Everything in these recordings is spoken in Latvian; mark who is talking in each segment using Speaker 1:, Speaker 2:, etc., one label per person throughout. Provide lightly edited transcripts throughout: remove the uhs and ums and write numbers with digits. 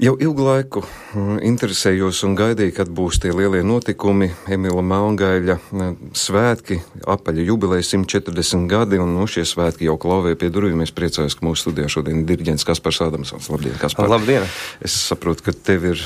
Speaker 1: Jau ilgu laiku interesējos un gaidīju, kad būs tie lielie notikumi, Emila Melngaļa svētki, apaļa jubileja 140 gadi, un šie svētki jau klauvē pie durvīm. Es priecājos, ka mūsu studijā šodien ir diriģents Kaspars Ādamsons. Labdien, Kaspar!
Speaker 2: Labdien!
Speaker 1: Es saprotu, ka tev ir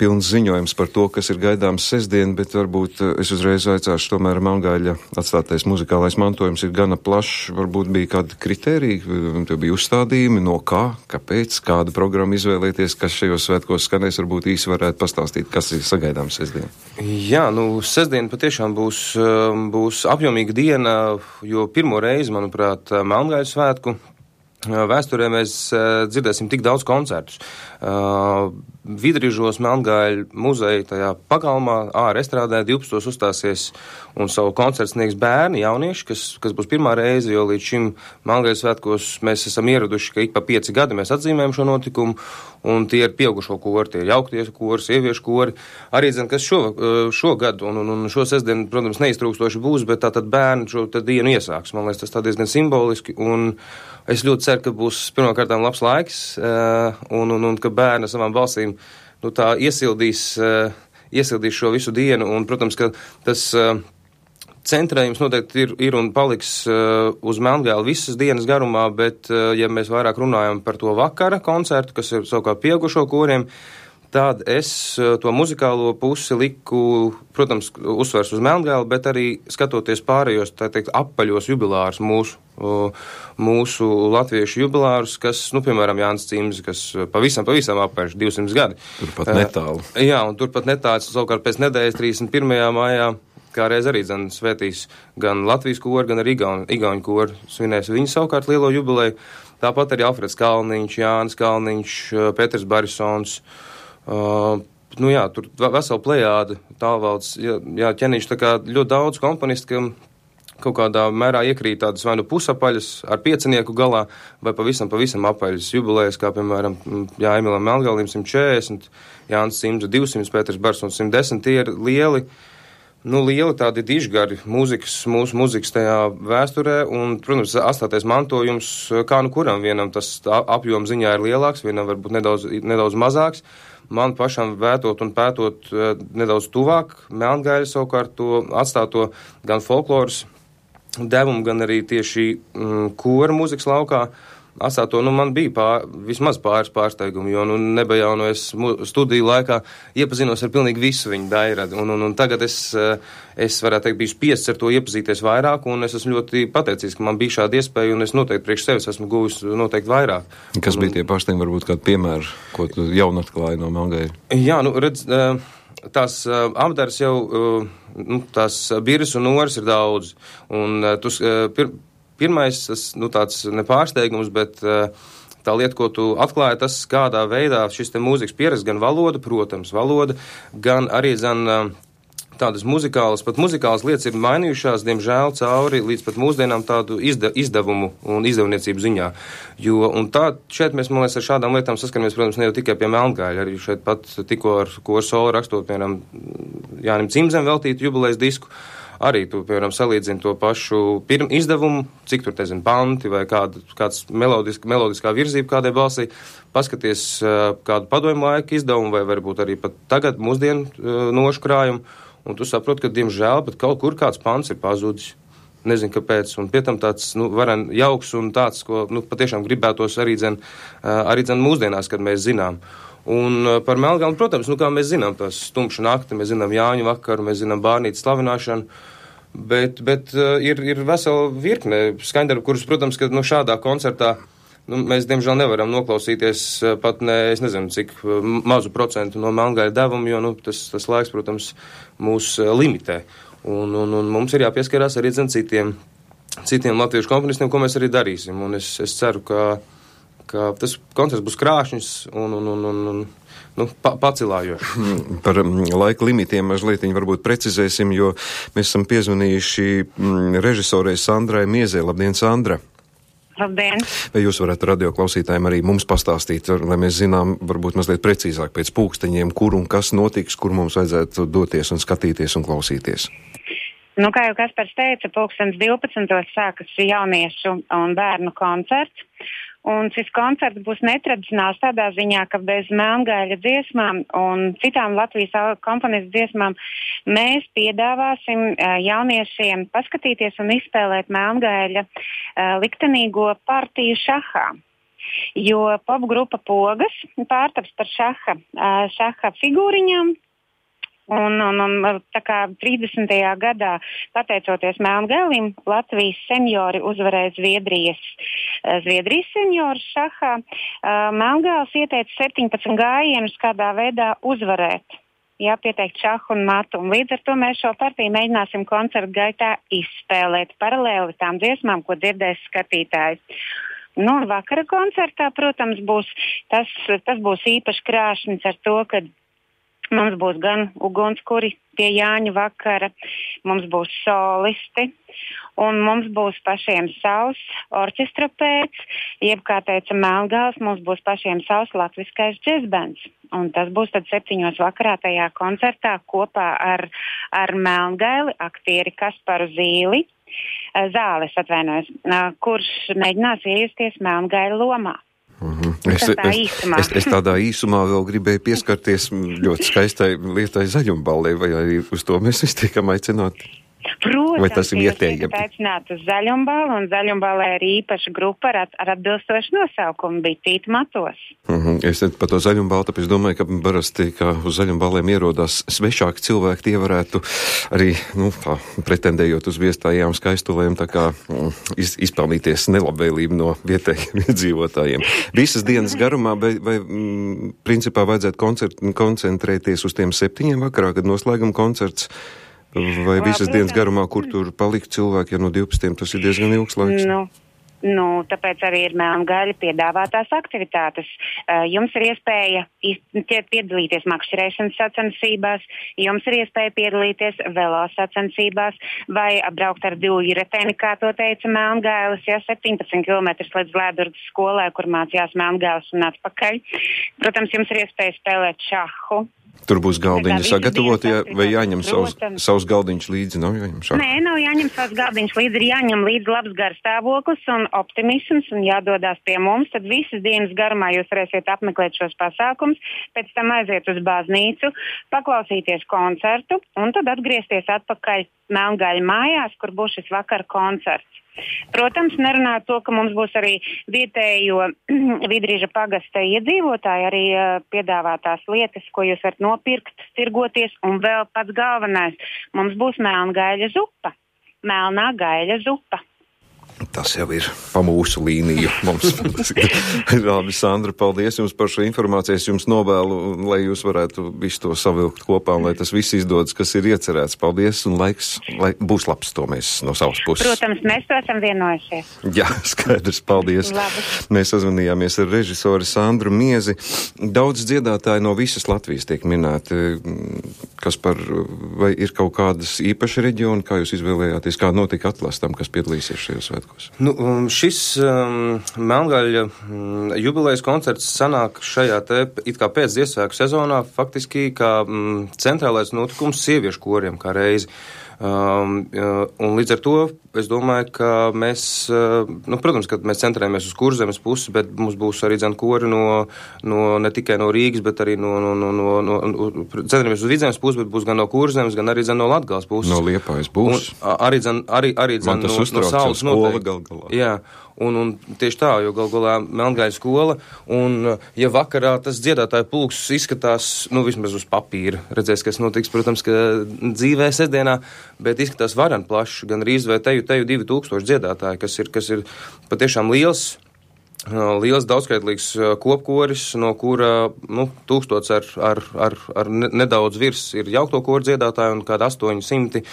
Speaker 1: pilns ziņojums par to, kas ir gaidāms sestdien, bet varbūt es uzreiz aicāšu, tomēr Melngaļa atstātais muzikālais mantojums ir gana plašs. Varbūt bija kādi kritēriji, tev bija uzstādījumi, no kā, kāpēc, kādu programmu izvēlēties, kas šajos svētkos skanēs, varbūt īsi varētu pastāstīt, kas ir sagaidāms sestdien.
Speaker 2: Jā, sestdien patiešām būs apjomīga diena, jo pirmo reizi, manuprāt, Melngaļas svētku vēsturē mēs dzirdēsim tik daudz koncertus. Vidrīžos Melngaļa muzeja tajā pagalmā ārā estrādē 12. uzstāsies un savu koncertu sniegs bērni, jaunieši, kas būs pirmā reize, jo līdz šim Melngaļas svētkos mēs esam ieraduši, ka ik pa 5 gadi mēs atzīmējam šo notikumu, un tie ir pieaugušo kori, tie ir jaukties kori, sieviešu kori. Arī, kas šogad un šo sestdienu, protams, neiztrūkstoši būs, bet tātad bērni šo dienu iesāks. Man liekas, tas tā diezgan simboliski, un es ļoti ceru, ka būs pirmkārtām labs laiks, un ka bērni savām balsīm tā iesildīs šo visu dienu, un, protams, ka tas centrējums noteikti ir un paliks uz Melngaļu visas dienas garumā, bet, ja mēs vairāk runājam par to vakara koncertu, kas ir savukārt pieaugušo koriem, tad es to muzikālo pusi liku, protams, uzsvers uz Melngaļu, bet arī skatoties pārējos, tā teikt, apaļos jubilārus mūsu latviešu jubilārus, kas, piemēram, Jānis Cimds, kas pavisam apaļš 200 gadi.
Speaker 1: Turpat netālu.
Speaker 2: Jā, un turpat netālu, savukārt pēc nedēļas 31. maijā, kā reiz arī svētīs gan Latvijas kori, gan arī Igauņu kori svinēs viņu savukārt lielo jubileju. Tāpat arī Alfreds Kalniņš, Jānis Kalniņš, Petrs Barisons, tur vesela plejāda, Tālvalds, ķenīši, tā kā ļoti daudz komponisti, ka kaut kādā mērā iekrīt tādas vai pusapaļas ar piecinieku galā, vai pavisam apaļas jubilejas, kā, piemēram, Emilam Melngaļam 140, Jānis Cimds 200, Petrs Barisons 110, tie ir lieli tādi dižgari mūsu mūzikas tajā vēsturē, un, protams, atstātais mantojums, kā kuram vienam tas apjoma ziņā ir lielāks, vienam varbūt nedaudz mazāks. Man pašam vētot un pētot nedaudz tuvāk, Melngaļa savukārt to atstāto gan folkloras devumu, gan arī tieši kora mūzikas laukā atstāto, man bija vismaz pāris pārsteigumi, jo nebija jau es studiju laikā iepazinos ar pilnīgi visu viņu dairadu, un tagad es varētu teikt, biju spiests ar to iepazīties vairāk, un es esmu ļoti pateicīgs, ka man bija šāda iespēja, un es noteikti priekš sevis esmu guvis noteikti vairāk.
Speaker 1: Kas bija tie pārsteigumi, varbūt kādu piemēru, ko tu jaunu atklāji no Melngaļa?
Speaker 2: Jā, redz, tās apdaras jau, tās biras un noras ir daudz, un pirmais, tas, tāds nepārsteigums, bet tā lieta, ko tu atklāji, tas, kādā veidā šis te mūzikas pieredze, gan valoda, protams, gan arī, tādas muzikālas lietas ir mainījušās, diemžēl, cauri līdz pat mūsdienām tādu izdevumu un izdevniecību ziņā. Šeit mēs, man liekas, ar šādām lietām saskaramies, protams, ne jau tikai pie Melngaļa, arī šeit pat tikko ar koru solo rakstot, piemēram, Jānim Cimdzem veltītu jubilejas disku, arī tu, piemēram, salīdzini to pašu izdevumu, cik tur, panti vai kāds melodiskā virzība kādai balsī, paskaties kādu padomju laiku izdevumu vai varbūt arī pat tagad mūsdienu nošu krājumu, un tu saproti, ka, diemžēl, pat kaut kur kāds pants ir pazudis. Nezinu, kāpēc, un pie tam tāds, varen jauks un tāds, ko, patiešām gribētos arī mūsdienās, kad mēs zinām. Un par Melngaļu, protams, kā mēs zinām tās stumšu nakti, mēs zinām Jāņu vakaru, mēs zinām bārnītes slavināšanu, bet ir vesela virkne skaņdarbu, kurus, protams, ka šādā koncertā mēs, diemžēl, nevaram noklausīties pat es nezinu, cik mazu procentu no Melngaļa devumu, jo tas laiks, protams, mūs limitē. Un mums ir jāpieskarās arī citiem latviešu komponistiem, ko mēs arī darīsim. Un es ceru, ka tas koncerts būs krāšņs un pacilājošs.
Speaker 1: Par laika limitiem mazliet varbūt precizēsim, jo mēs esam piezvanījuši režisorei Sandrai Miezē. Labdien, Sandra!
Speaker 3: Labdien!
Speaker 1: Vai jūs varētu radio klausītājiem arī mums pastāstīt, lai mēs zinām varbūt mazliet precīzāk pēc pulksteņiem, kur un kas notiks, kur mums vajadzētu doties un skatīties un klausīties?
Speaker 3: Kā jau Kaspars teica, 12. sākas jauniešu un bērnu koncerts. Un šis koncerts būs netradicionāls tādā ziņā, ka bez Melngaļa dziesmām un citām Latvijas komponistu dziesmām mēs piedāvāsim jauniešiem paskatīties un izspēlēt Melngaļa liktenīgo partiju šahā. Jo popgrupa Pogas pārtaps par šaha figūriņām. Un tā kā 30. gadā, pateicoties Melngaļam, Latvijas seniori uzvarēja Zviedrijas seniorus šahā. Melngaļs ieteica 17 gājienus, kādā veidā uzvarēt. Pieteikt šahu un matu. Un līdz ar to mēs šo partiju mēģināsim koncertu gaitā izspēlēt paralēli tām dziesmām, ko dzirdēs skatītāji. Vakara koncertā, protams, tas būs īpaši krāšņs ar to, ka mums būs gan ugunskuri pie Jāņu vakara, mums būs solisti, un mums būs pašiem savs orķestra pēc, jeb, kā teica Melngaļs, mums būs pašiem savs latviskais džezbands. Un tas būs tad 7 vakarā tajā koncertā kopā ar Melngaļi, aktieri Kasparu Zāles, kurš mēģinās iejusties Melngaļa lomā.
Speaker 1: Es tādā īsumā vēl gribēju pieskarties ļoti skaistai lietai Zaļumballē, vai arī uz to mēs visi tiekam aicināti?
Speaker 3: Protams,
Speaker 1: vai tas ir vietējiem?
Speaker 3: Jūs aicinātu uz Zaļumballi, un Zaļumballē ir īpaša grupa ar atbilstošu nosaukumu Bitīt matos.
Speaker 1: Es par to Zaļumballi, tāpēc domāju, ka parasti, kā uz Zaļumballēm ierodās svešāki cilvēki, tie varētu arī, pretendējot uz viestājām skaistulēm, tā kā izpelnīties nelabvēlību no vietējiem iedzīvotājiem. Visas dienas garumā, vai principā vajadzētu koncentrēties uz tiem 7 vakarā, kad noslēgam koncerts, vai visas dienas garumā, kur tur palikt cilvēki, ja no 12 tas ir diezgan ilgs laiks?
Speaker 3: Tāpēc arī ir Melngaļa piedāvātās aktivitātes. Jums ir iespēja piedalīties makšķerēšanas sacensībās, jums ir iespēja piedalīties velo sacensībās vai braukt ar divjireteni, kā to teica Melngaļas, 17 km līdz Lēdurgas skolai, kur mācījās Melngaļas un atpakaļ. Protams, jums ir iespēja spēlēt šahu.
Speaker 1: Tur būs galdiņi sagatavoti, vai jāņem savs galdiņš līdzi? Nav jāņem šādi?
Speaker 3: Nē, nav jāņem savs galdiņš līdzi, ir jāņem līdzi labs garstāvoklis un optimisms un jādodās pie mums. Tad visas dienas garumā jūs varēsiet apmeklēt šos pasākums, pēc tam aiziet uz baznīcu, paklausīties koncertu un tad atgriezties atpakaļ Melngaļa mājās, kur būs šis vakar koncerts. Protams, nerunāt to, ka mums būs arī vietējo Vidrīža pagasta iedzīvotāji, arī piedāvātās lietas, ko jūs varat nopirkt, tirgoties, un vēl pats galvenais, mums būs Melngaļa zupa, melnā gaļa zupa.
Speaker 1: Tas jau ir pa mūsu līniju mums. Labi, Sandra, paldies jums par šo informāciju. Es jums novēlu, lai jūs varētu visu to savilkt kopā un lai tas viss izdodas, kas ir iecerēts. Paldies un laiks, lai būs labs, to mēs no savas puses.
Speaker 3: Protams, mēs to esam vienojušies.
Speaker 1: Jā, skaidrs, paldies.
Speaker 3: Labi.
Speaker 1: Mēs sazvanījāmies ar režisoru Sandru Miezi. Daudz dziedātāji no visas Latvijas tiek minēti. Vai ir kaut kādas īpaši reģioni, kā jūs izvēlējāties, kā notika atlastam, kas piedalīsies šajos svētkos?
Speaker 2: Šis Melngaļa jubilejas koncerts sanāk šajā te it kā pēc Ziemassvētku sezonā faktiski kā centrālais notikums sieviešu koriem kā reizi. Un līdz ar to es domāju, ka mēs, protams, ka mēs centrējamies uz Kurzemes pusi, bet mums būs arī kori ne tikai no Rīgas, bet arī centrējamies uz Vidzemes pusi, bet būs gan no Kurzemes, gan arī no Latgales puses.
Speaker 1: No Liepājas būs.
Speaker 2: Arī
Speaker 1: Man tas uztrauc, jau skola gal galā.
Speaker 2: Jā. Un tieši tā, jo gal galā Melngaļa skola, un ja vakarā tas dziedātāju pulks izskatās, vismaz uz papīra, redzēs, kas notiks, protams, ka dzīvē sestdienā, bet izskatās varan plašs, gan rīz vai teju 2000 dziedātāji, kas ir patiešām liels daudzskaitlīgs kopkoris, no kura 1000 ar nedaudz virs ir jaukto koru dziedātāji un kāda 800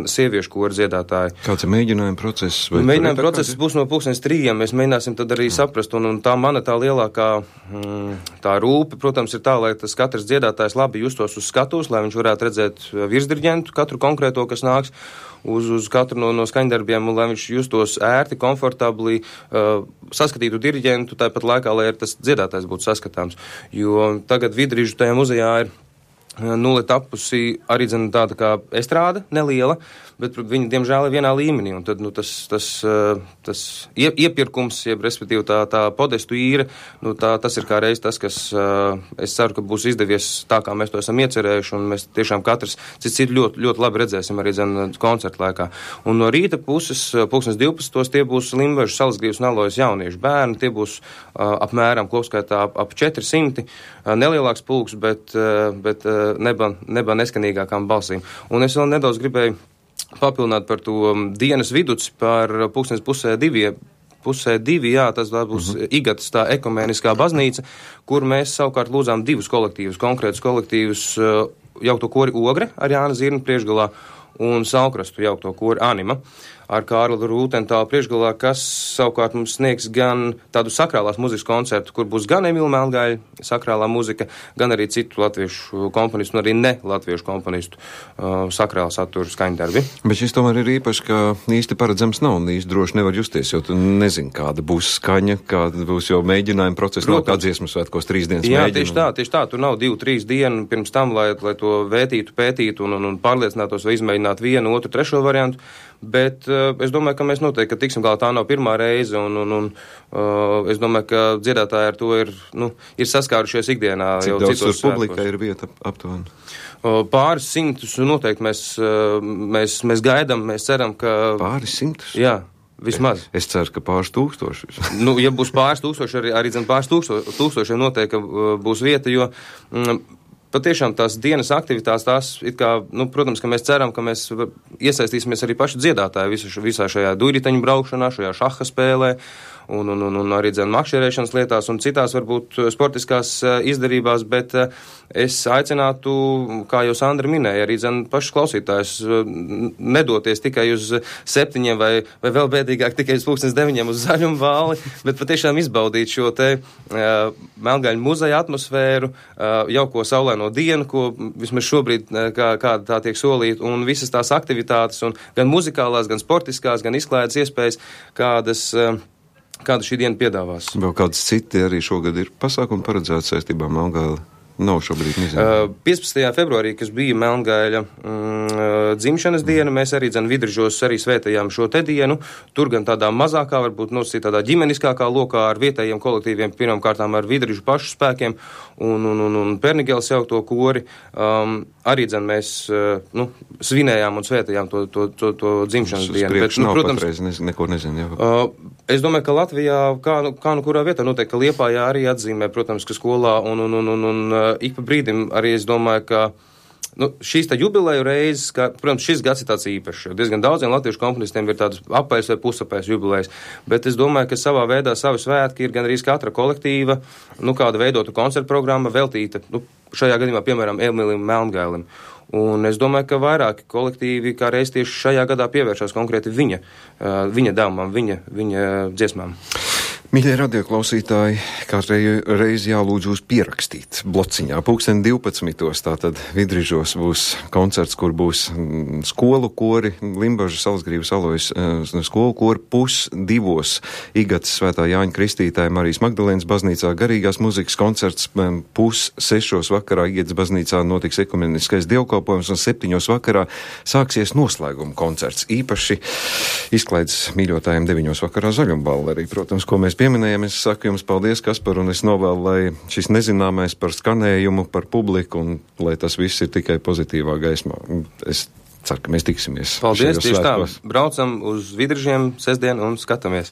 Speaker 2: sieviešu koru dziedātāji.
Speaker 1: Kāds ir mēģinājuma process?
Speaker 2: Mēģinājuma process būs no 3:00. Mēs mēģināsim tad arī saprast, un tā mana tā lielākā tā rūpe, protams, ir tā, lai tas katrs dziedātājs labi justos uz skatuves, lai viņš varētu redzēt virsdiriģentu, katru konkrēto, kas nāks uz katru no skaņdarbiem, un lai viņš justos ērti, komfortabli, saskatītu diriģentu, tāpat laikā, lai tas dziedātājs būtu saskatāms. Jo tagad Vidrīžu tajā muzejā ir Nulle tapusi arī tāda kā estrāde neliela, bet viņi, diemžēl, ir vienā līmenī. Un tad tas iepirkums, jeb respektīvi tā podestu īre, tas ir kā reiz tas, kas es ceru, ka būs izdevies tā, kā mēs to esam iecerējuši, un mēs tiešām katrs cits ļoti, ļoti labi redzēsim arī koncertu laikā. Un no rīta puses, 12. tie būs Limbažu, Salasgrīvas un Alojas jauniešu bērni, tie būs apmēram kopskaitā ap 400, nelielāks pulks, bet neba neskanīgākām balsīm. Un es vēl nedaudz gribēju papilnāt par to dienas viduci, par pusē divi, jā, tas būs Igatas tā ekumēniskā baznīca, kur mēs savukārt lūdzām divus kolektīvus, konkrētus kolektīvus, jaukto kori Ogre ar Jāna Zirna priekšgalā un Salkrastu jaukto kori Anima ar Kārli Rūtentālu priekšgalā, kas savukārt mums sniegs gan tādu sakrālās muzikas koncertu, kur būs gan Emīla Melngaļa sakrālā muzika, gan arī citu latviešu komponistu un arī ne latviešu komponistu sakrāla satura skaņdarbi.
Speaker 1: Bet šis tomēr ir īpaši, ka īsti paredzams nav un īsti droši nevar justies, jo tu nezini, kāda būs skaņa, kāda būs jau mēģinājuma procesa, nav kā dziesmu svētkos 3 dienas
Speaker 2: jā,
Speaker 1: mēģina.
Speaker 2: Tieši tā, tur nav 2-3 dienu pirms tam, lai to vētītu, pētītu un pārliecinātos vai izmēģinātu vienu, otru, trešo variantu. Bet es domāju, ka mēs noteikti, ka tiksim galā, tā nav pirmā reize, un es domāju, ka dziedātāji ar to ir saskārušies ikdienā.
Speaker 1: Cik daudz tur publika ir vieta aptuveni?
Speaker 2: Pāris simtus noteikti mēs gaidām, mēs ceram, ka...
Speaker 1: Pāris simtus?
Speaker 2: Jā. Vismaz.
Speaker 1: Es ceru, ka pāris tūkstoši.
Speaker 2: Ja būs pāris tūkstoši, arī pāris tūkstošiem noteikti būs vieta, jo... Patiešām tās dienas aktivitātes, tās it kā, protams, ka mēs ceram, ka mēs iesaistīsimies arī paši dziedātāji visā šajā duiriteņu braukšanā, šajā šaha spēlē un arī makšķerēšanas lietās un citās varbūt sportiskās izdarībās, bet es aicinātu, kā jau Sandra minēja, arī pašus klausītājus nedoties tikai uz 7 vai vēl bēdīgāk tikai uz 9 uz Zaļumu vāli, bet patiešām izbaudīt šo te Melngaļu muzeja atmosfēru, jauko saulaino dienu, ko vismaz šobrīd kāda tā tiek solīta, un visas tās aktivitātes, un gan muzikālās, gan sportiskās, gan izklaides iespējas, kāda šī diena piedāvās.
Speaker 1: Vēl kāds citi arī šogad ir pasākumi paredzēti saistībā Melngaļa? Nav šobrīd nezinu.
Speaker 2: 15. februārī, kas bija Melngaļa dzimšanas diena, mēs arī Vidržos arī svētējām šo te dienu. Tur gan tādā mazākā, varbūt tādā ģimeniskākā lokā ar vietējiem kolektīviem, pirmām kārtām ar Vidržu pašu spēkiem un Pernigēles jaukto kori. Arī mēs svinējām un svētējām to dzimšanas dienu.
Speaker 1: Bet, protams, patreiz neko nezinu.
Speaker 2: Es domāju, ka Latvijā, kā kurā vietā, noteikti, ka Liepājā arī atzīmē, protams, ka skolā un ik pa brīdim arī es domāju, ka šīs tā jubileju reizes, protams, šis gads ir tāds īpašs, jo diezgan daudziem latviešu komponistiem ir tādas apais vai pusapais jubilejas, bet es domāju, ka savā veidā savi svētki ir gan arī katra kolektīva, kāda veidota koncerta programma veltīta, šajā gadījumā, piemēram, Emīlim Melngailim. Un es domāju, ka vairāki kolektīvi kā reiz tieši šajā gadā pievēršās konkrēti viņa dāmām, viņa dziesmām.
Speaker 1: Mīļie radioklausītāji, katrai reizi jālūdz jūs pierakstīt blociņā. 12. Tātad Vidržos būs koncerts, kur būs skolu kori, Limbažu, Salasgrīvas, Alojas skolu kori, 1:30 Igatas Svētā Jāņa Kristītāja Marijas Magdalēnas baznīcā garīgās muzikas koncerts, 5:30 vakarā Igatas baznīcā notiks ekumeniskais dievkalpojums un 7 vakarā sāksies noslēguma koncerts. Īpaši izklaides mīļotājiem 9 vakarā Zaļumbāla arī, protams, ko mēs pieminējam. Es saku jums paldies, Kaspar, un es novēlu, lai šis nezināmais par skanējumu, par publiku, un lai tas viss ir tikai pozitīvā gaismā. Es ceru, ka mēs tiksimies.
Speaker 2: Paldies, tieši tā. Braucam uz Vidržiem sestdien un skatāmies.